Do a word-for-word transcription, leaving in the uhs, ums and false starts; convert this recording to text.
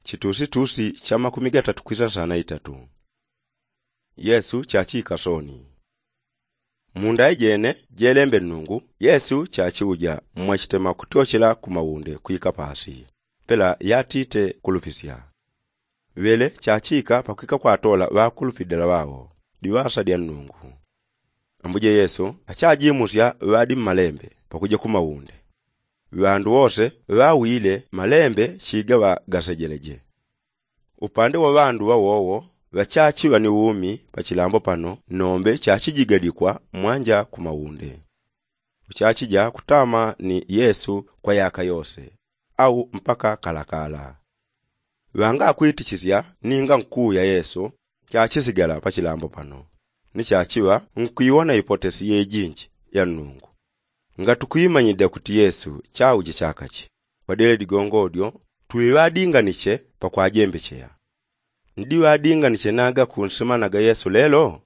Chitusitusi cha makumi gatatu kwisa sana itatu. Yesu chachika soni. Munda ijene jelembe nnungu yesu chachiuja mwachitema kutyochela ku maunde kwika pasi pela yatite kulupisya. Ŵele chachika pakwika kwatola ŵakulupidila ŵao diŵasa dya nnungu. Ambuje yesu achajimusya ŵadi mmalembe pakuja ku maunde. Ŵandu wose ŵawile malembe chigaŵa gasejeleje. Upande wa ŵandu ŵawowo ŵachachiŵa ni umi pachilambo pano nombe chachijigadikwa mwanja ku maunde. Uchachija kutama ni yesu kwa yaka yose au mpaka kalakala. Ŵangakwitchisya ninga nkuuya yesu chachisigala pachilambo pano ni chachiŵa nkwiwona ipotesi yejinji ya nnungu. Ngati kwimanyidya kuti yesu chauja chakachi kwadile ligongo dyo twiŵadinganiche pakwajembecheya. Ndiŵadinganiche naga kunsimanaga yesu lelo?